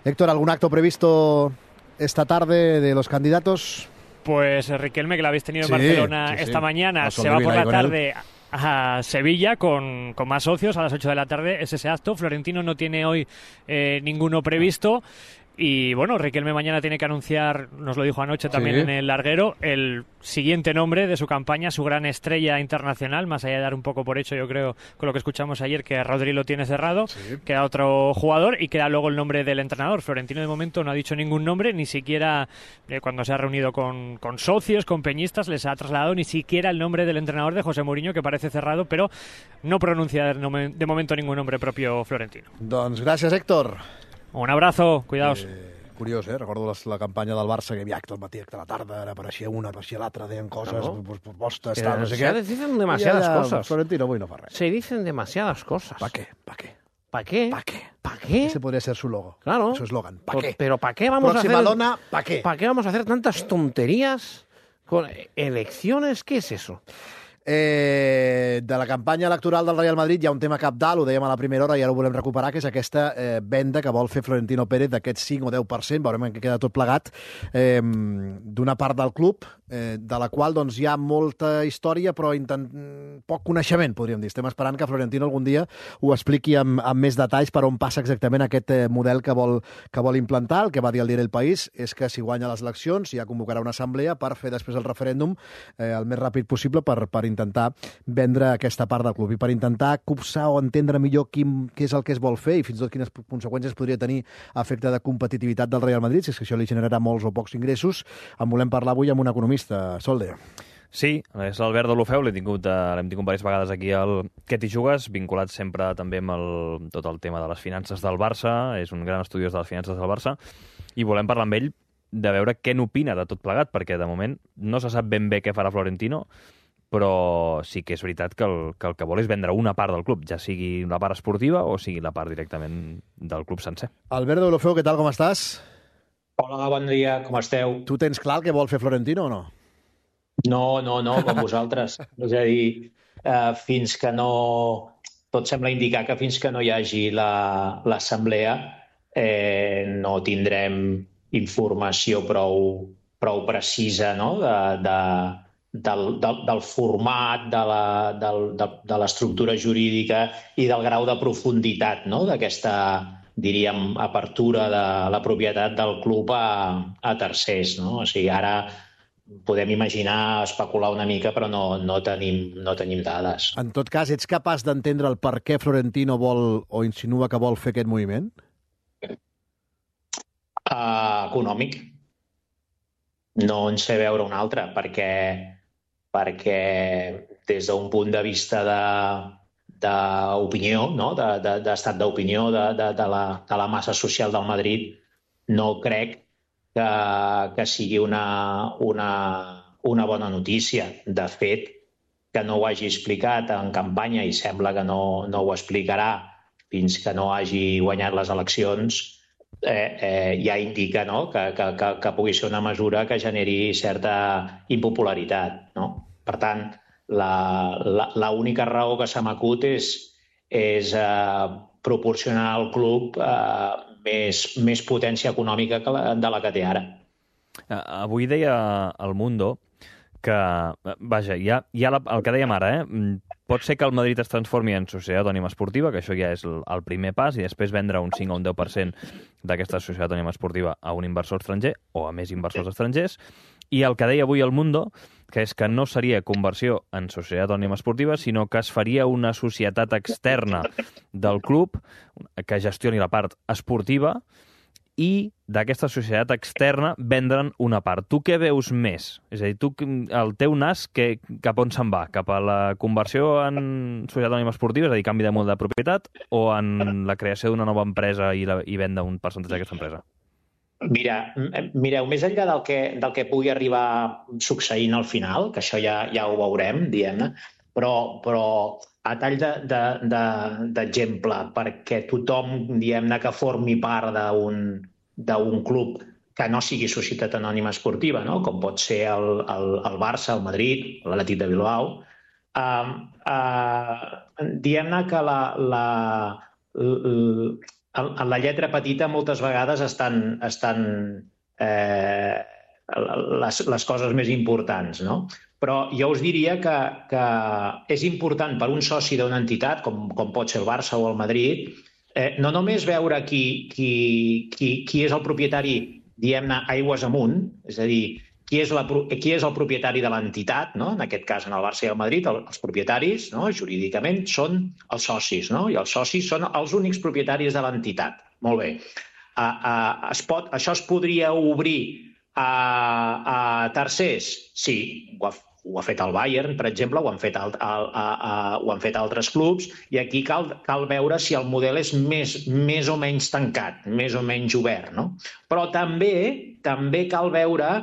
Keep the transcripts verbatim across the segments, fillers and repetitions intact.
Héctor, ¿algún acto previsto esta tarde de los candidatos? Pues Riquelme, que lo habéis tenido sí, en Barcelona sí, sí. esta mañana, Paso se va por la con tarde él. a Sevilla con, con más socios a las ocho de la tarde. Es ese acto. Florentino no tiene hoy eh, ninguno previsto. Y bueno, Riquelme mañana tiene que anunciar, nos lo dijo anoche también Sí. en el larguero, el siguiente nombre de su campaña, su gran estrella internacional, más allá de dar un poco por hecho, yo creo, con lo que escuchamos ayer, que Rodri lo tiene cerrado, Sí. queda otro jugador y queda luego el nombre del entrenador. Florentino de momento no ha dicho ningún nombre, ni siquiera eh, cuando se ha reunido con, con socios, con peñistas, les ha trasladado ni siquiera el nombre del entrenador de José Mourinho, que parece cerrado, pero no pronuncia de, de momento ningún nombre propio Florentino. Doncs gràcies, Héctor. Un abrazo, cuidaos. Eh, curiós, eh? Recordo la, la campanya del Barça, que hi havia acte al matí, acte a la tarda, ara apareixia una, apareixia l'altra, deien coses, Claro. pues, propostes, Que tal, no sé se què. dicen demasiadas I ara, cosas. Florentino avui no fa res. Se dicen demasiadas cosas. ¿Pa qué? ¿Pa qué? ¿Para qué? ¿Pa qué? ¿Para qué? Ese podría ser su logo, Claro. su eslogan. ¿Pa Pues, qué? Pero ¿para qué vamos Próxima a hacer? dona, ¿pa qué? ¿Para qué vamos a hacer tantas tonterías con elecciones? ¿Qué es eso? Eh, de la campanya electoral del Real Madrid hi ha un tema cabdal, ho dèiem a la primera hora i ara ho volem recuperar, que és aquesta eh, venda que vol fer Florentino Pérez d'aquest cinc o deu per cent, veurem en què queda tot plegat, eh, d'una part del club, eh, de la qual doncs, hi ha molta història però intent... poc coneixement, podríem dir. Estem esperant que Florentino algun dia ho expliqui amb, amb més detalls per on passa exactament aquest eh, model que vol, que vol implantar. El que va dir el diari El País és que si guanya les eleccions ja convocarà una assemblea per fer després el referèndum eh, el més ràpid possible per, per intentar vendre aquesta part del club i per intentar copsar o entendre millor quin, què és el que es vol fer i fins i tot quines conseqüències podria tenir a efecte de competitivitat del Real Madrid, si és que això li generarà molts o pocs ingressos. En volem parlar avui amb un economista. Solde. Sí, és l'Albert de l'Ofeu, l'hem tingut, eh, l'hem tingut diverses vegades aquí al Què t'hi jugues, vinculat sempre també amb el, tot el tema de les finances del Barça, és un gran estudiós de les finances del Barça, i volem parlar amb ell de veure què n'opina de tot plegat, perquè de moment no se sap ben bé què farà Florentino, però sí que és veritat que el, que el que vol és vendre una part del club, ja sigui la part esportiva o sigui la part directament del club sencer. Albert de l'Ofeu, què tal, com estàs? Hola, bon dia, com esteu? Tu tens clar el que vol fer Florentino o no? No, no, no, com vosaltres. És a dir, eh, fins que no... Tot sembla indicar que fins que no hi hagi la- l'assemblea eh, no tindrem informació prou, prou precisa, no?, de, de, del, del, del format, de la, del, de, de l'estructura jurídica i del grau de profunditat, no?, d'aquesta, diríem, apertura de la propietat del club a, a tercers, no? O sigui, ara podem imaginar, especular una mica, però no, no, tenim, no tenim dades. En tot cas, ets capaç d'entendre el per què Florentino vol o insinua que vol fer aquest moviment? Uh, econòmic. No en sé veure un altre, perquè, perquè des d'un punt de vista de d'opinió, no? de, de, d'estat d'opinió de, de, de, la, de la massa social del Madrid, no crec que, que sigui una, una, una bona notícia. De fet, que no ho hagi explicat en campanya i sembla que no, no ho explicarà fins que no hagi guanyat les eleccions, eh, eh, ja indica, no?, que, que, que, que pugui ser una mesura que generi certa impopularitat, no? Per tant, la, la, la única raó que se m'acut és, és eh, proporcionar al club eh, més, més potència econòmica que la, de la que té ara. Uh, avui deia El Mundo que, vaja, ja, ja la, el que dèiem ara, eh? Pot ser que el Madrid es transformi en societat anònima esportiva, que això ja és el, el primer pas, i després vendre un cinc o un deu per cent d'aquesta societat anònima esportiva a un inversor estranger o a més inversors estrangers. I el que deia avui El Mundo, que és que no seria conversió en societat anònima esportiva, sinó que es faria una societat externa del club que gestioni la part esportiva i d'aquesta societat externa vendre'n una part. Tu què veus més? És a dir, tu, el teu nas que, cap on se'n va? Cap a la conversió en societat anònima esportiva, és a dir, canvi de model de propietat, o en la creació d'una nova empresa i, la, i venda un percentatge d'aquesta empresa? Mira, mireu, més enllà del que, del que pugui arribar succeint al final, que això ja, ja ho veurem, diguem-ne, però, però a tall d'exemple, de, de, perquè tothom, diguem-ne, que formi part d'un d'un club que no sigui societat anònima esportiva, no?, com pot ser el, el, el Barça, el Madrid, l'Atlètic de Bilbao, uh, uh, diguem-ne que la, la, en, en la lletra petita moltes vegades estan, estan eh, les, les coses més importants, no? Però jo us diria que, que és important per un soci d'una entitat, com, com pot ser el Barça o el Madrid, eh, no només veure qui, qui, qui, qui és el propietari, diguem-ne, aigües amunt, és a dir, qui és, la, qui és el propietari de l'entitat, no? En aquest cas, en el Barça i el Madrid, el, els propietaris, no? Jurídicament, són els socis, no? I els socis són els únics propietaris de l'entitat. Molt bé. Uh, uh, es pot, això es podria obrir a, a tercers? Sí, ho ha, ho ha fet el Bayern, per exemple, ho han fet, el, el, a, a, ho han fet altres clubs, i aquí cal, cal veure si el model és més, més o menys tancat, més o menys obert, no? Però també, també cal veure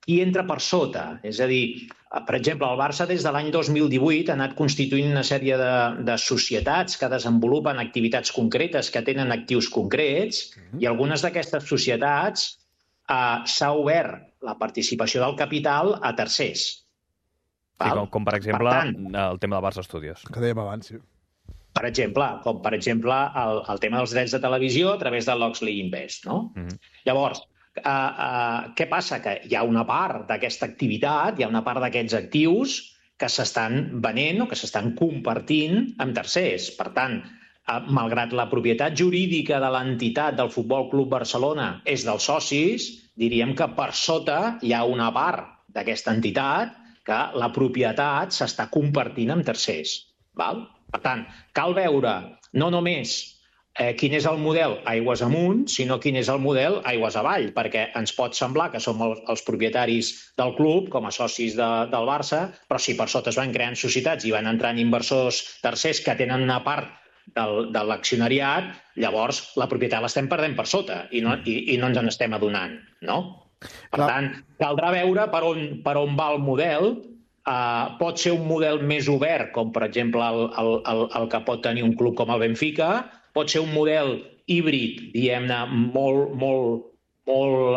qui entra per sota. És a dir, per exemple, el Barça des de l'any dos mil divuit ha anat constituint una sèrie de, de societats que desenvolupen activitats concretes, que tenen actius concrets, mm-hmm. i algunes d'aquestes societats eh, s'ha obert la participació del capital a tercers. Sí, com, com per exemple per tant, el tema del Barça Studios. Que dèiem abans, sí. Per exemple, com per exemple el, el tema dels drets de televisió a través de l'Oxley Invest, no? Mm-hmm. Llavors, Uh, uh, què passa? Que hi ha una part d'aquesta activitat, hi ha una part d'aquests actius que s'estan venent o que s'estan compartint amb tercers. Per tant, uh, malgrat la propietat jurídica de l'entitat del Futbol Club Barcelona és dels socis, diríem que per sota hi ha una part d'aquesta entitat que la propietat s'està compartint amb tercers. Val? Per tant, cal veure no només Eh, quin és el model aigües amunt, sinó quin és el model aigües avall, perquè ens pot semblar que som el, els propietaris del club, com a socis de, del Barça, però si per sota es van creant societats i van entrant inversors tercers que tenen una part del, de l'accionariat, llavors la propietat l'estem perdent per sota i no, i, i no ens en estem adonant, no? Per Clar. tant, caldrà veure per on, per on va el model. Uh, pot ser un model més obert, com per exemple el, el, el, el que pot tenir un club com el Benfica, pot ser un model híbrid, diguem-ne, molt, molt, molt,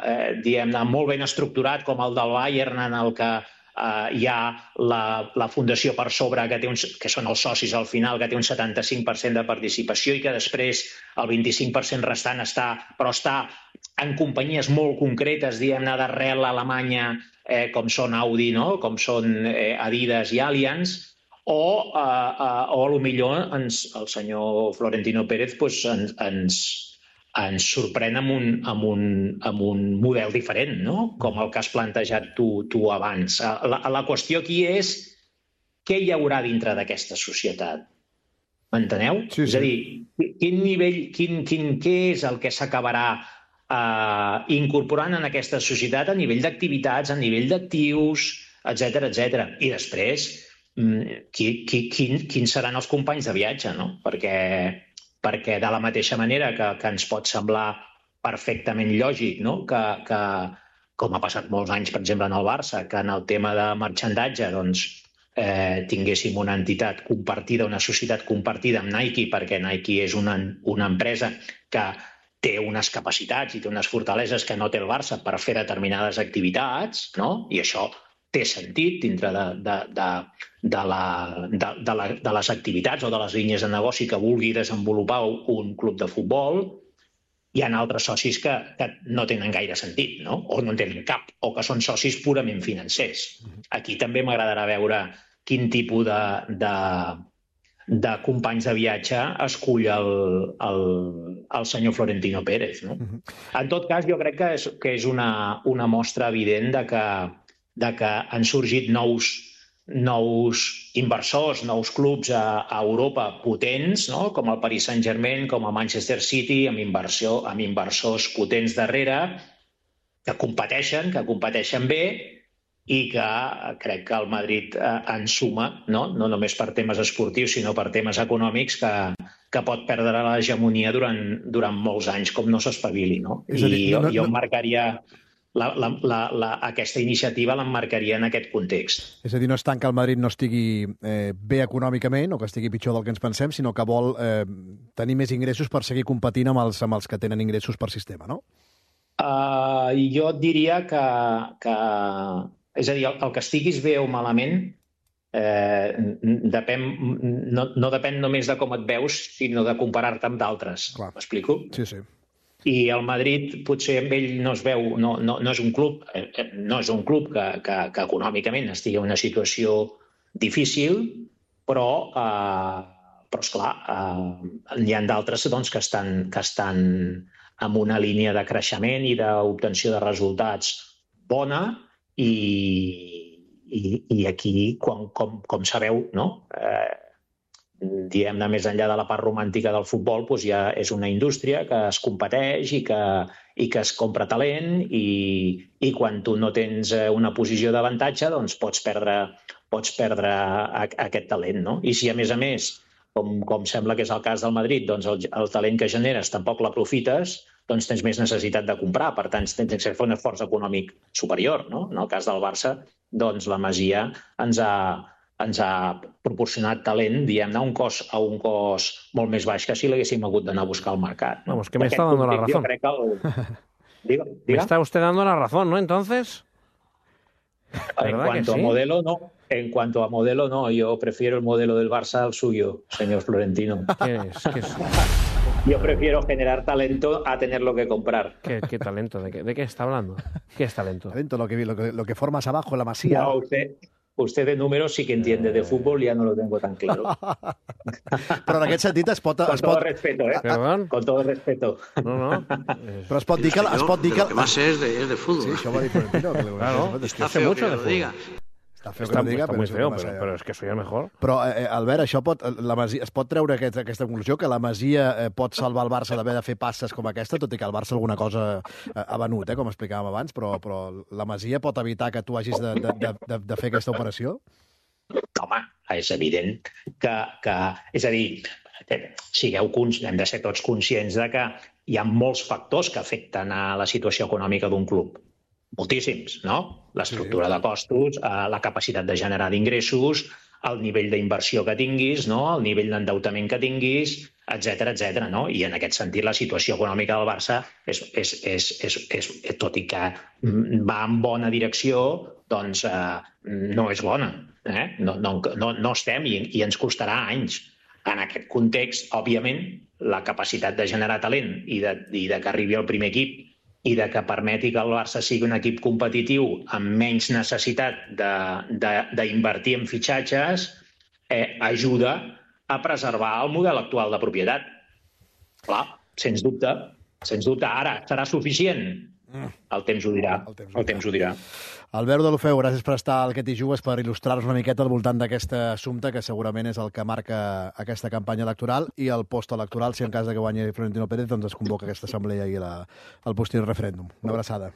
eh, diguem-ne, molt ben estructurat, com el del Bayern, en el que eh, hi ha la, la fundació per sobre, que, té uns, que són els socis al final, que té un setanta-cinc per cent de participació i que després el vint-i-cinc per cent restant està, però està en companyies molt concretes, diguem-ne, d'arrel alemanya, eh, com són Audi, no? Com són eh, Adidas i Allianz, o, uh, uh, o potser ens, el senyor Florentino Pérez pues, ens, ens, ens sorprèn amb un, amb, un, amb un model diferent, no? Com el que has plantejat tu, tu abans. La, la qüestió aquí és què hi haurà dintre d'aquesta societat. M'enteneu? Sí, sí. És a dir, quin nivell, quin, quin, què és el que s'acabarà uh, incorporant en aquesta societat a nivell d'activitats, a nivell d'actius, etcètera, etcètera. I després, Qui, qui, quin, quins seran els companys de viatge, no? Perquè, perquè de la mateixa manera que, que ens pot semblar perfectament lògic, no? Que, que, com ha passat molts anys, per exemple, en el Barça, que en el tema de marxandatge doncs, eh, tinguéssim una entitat compartida, una societat compartida amb Nike, perquè Nike és una, una empresa que té unes capacitats i té unes fortaleses que no té el Barça per fer determinades activitats, no? I això té sentit dintre de, de, de, de, la, de, de, la, de les activitats o de les línies de negoci que vulgui desenvolupar un club de futbol. Hi ha altres socis que, que no tenen gaire sentit, no? O no en tenen cap, o que són socis purament financers. Aquí també m'agradarà veure quin tipus de, de, de companys de viatge escull el, el, el senyor Florentino Pérez, no? En tot cas, jo crec que és, que és una, una mostra evident de que de que han sorgit nous, nous inversors, nous clubs a, a Europa potents, no? Com el Paris Saint-Germain, com el Manchester City, amb, inversió, amb inversors potents darrere, que competeixen, que competeixen bé i que crec que el Madrid eh, en suma, no? No només per temes esportius, sinó per temes econòmics, que, que pot perdre l'hegemonia durant, durant molts anys, com no s'espavili, no? I dir, jo, no, no, jo em marcaria... La, la, la, la, aquesta iniciativa l'emmarcaria en aquest context. És a dir, no és tant que el Madrid no estigui eh, bé econòmicament o que estigui pitjor del que ens pensem, sinó que vol eh, tenir més ingressos per seguir competint amb els, amb els que tenen ingressos per sistema, no? Uh, jo et diria que, que... És a dir, el, el que estiguis bé o malament eh, depèn, no, no depèn només de com et veus, sinó de comparar-te amb d'altres. M'explico? Sí, sí. I el Madrid potser amb ell no es veu, no, no, no és un club, no és un club que, que, que econòmicament estigui en una situació difícil, però, eh, però esclar, eh, hi ha d'altres doncs, que, estan, que estan amb una línia de creixement i d'obtenció de resultats bona i, i, i aquí, com, com, com sabeu, no? Eh, diguem-ne, més enllà de la part romàntica del futbol, doncs ja és una indústria que es competeix i que, i que es compra talent i, i quan tu no tens una posició d'avantatge doncs pots perdre, pots perdre aquest talent, no? I si a més a més, com, com sembla que és el cas del Madrid, doncs el, el talent que generes tampoc l'aprofites, doncs tens més necessitat de comprar, per tant tens que fer un esforç econòmic superior, no? En el cas del Barça, doncs la Masia ens ha, ens ha proporcionat talent, diguem-ne, a un cost, a un cost molt més baix que si l'haguéssim hagut d'anar a buscar al mercat. ¿no? Vamos, que me está dando la razón. El... Diga, diga. Me está usted dando la razón, ¿no? Entonces... En cuanto sí? a modelo, no. En cuanto a modelo, no. Yo prefiero el modelo del Barça al suyo, señor Florentino. ¿Qué es? ¿Qué es? Yo prefiero generar talento a tenerlo que comprar. ¿Qué, qué talento? ¿De qué, ¿De qué está hablando? ¿Qué es talento? Talento, lo que, lo que, lo que formas abajo en la Masía. No, usted... Usted de números sí que entiende, de fútbol ya no lo tengo tan claro. Però en aquest sentit es pot... Con es todo pot... respeto, ¿eh? Perdón? Con todo respeto. No, no. Però es pot dir que... Es pot dir que... Lo que más es de, es de fútbol. Sí, això va dir Florentino. Que claro, es está que feo mucho que lo diga. Està feo Está, que ho diga, está però muy és feo, massa... pero, pero es que soy el mejor. Però, eh, Albert, això pot, la Masia, es pot treure aquest, aquesta conclusió, que la Masia eh, pot salvar el Barça d'haver de fer passes com aquesta, tot i que el Barça alguna cosa eh, ha venut, eh, com explicàvem abans, però, però la Masia pot evitar que tu hagis de, de, de, de, de fer aquesta operació? Home, és evident que... que és a dir, sigueu, hem de ser tots conscients de que hi ha molts factors que afecten a la situació econòmica d'un club. Moltíssims, no? L'estructura sí. de costos, la capacitat de generar d'ingressos, el nivell d'inversió que tinguis, no? El nivell d'endeutament que tinguis, etcètera, etcètera, no? I en aquest sentit la situació econòmica del Barça, és, és, és, és, és, tot i que va en bona direcció, doncs eh, no és bona. Eh? No, no, no, no estem i, i ens costarà anys. En aquest context, òbviament, la capacitat de generar talent i de, i de que arribi al primer equip i de que permeti que el Barça sigui un equip competitiu amb menys necessitat d'invertir en fitxatges, eh, ajuda a preservar el model actual de propietat. Clar, sens dubte. Sens dubte. Ara, serà suficient? El temps ho dirà. El temps ho dirà. El temps ho dirà. Albert Deulofeu, gràcies per estar al Que t'hi jugues, per il·lustrar-nos una miqueta al voltant d'aquest assumpte que segurament és el que marca aquesta campanya electoral i el postelectoral, si en cas de que guanyi Florentino Pérez, doncs es convoca aquesta assemblea i la, el posterior referèndum. Una abraçada.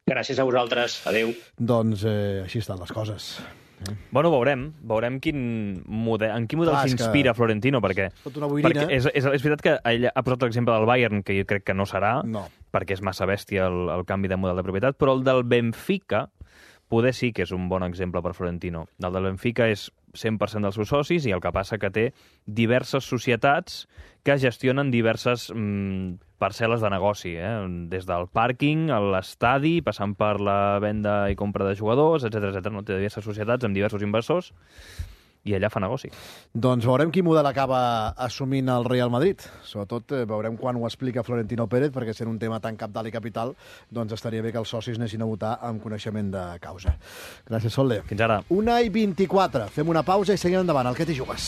Gràcies a vosaltres. Adéu. Doncs eh, així estan les coses. Eh? Bueno, veurem. Veurem quin model, en quin model s'inspira que... Florentino, perquè, perquè és, és, és veritat que ell ha posat l'exemple del Bayern, que jo crec que no serà, no. perquè és massa bèstia el, el canvi de model de propietat, però el del Benfica poder sí que és un bon exemple per Florentino. El del Benfica és cent per cent dels seus socis i el que passa que té diverses societats que gestionen diverses mm, parcel·les de negoci, eh? Des del pàrquing, a l'estadi, passant per la venda i compra de jugadors, etcètera, etcètera. No? Té diverses societats amb diversos inversors i allà fa negoci. Doncs veurem quin model acaba assumint el Real Madrid. Sobretot eh, veurem quan ho explica Florentino Pérez, perquè sent un tema tan cabdal i capital, doncs estaria bé que els socis anessin a votar amb coneixement de causa. Gràcies, Solde. Fins ara. una i vint-i-quatre. Fem una pausa i seguim endavant. El Que t'hi jugues.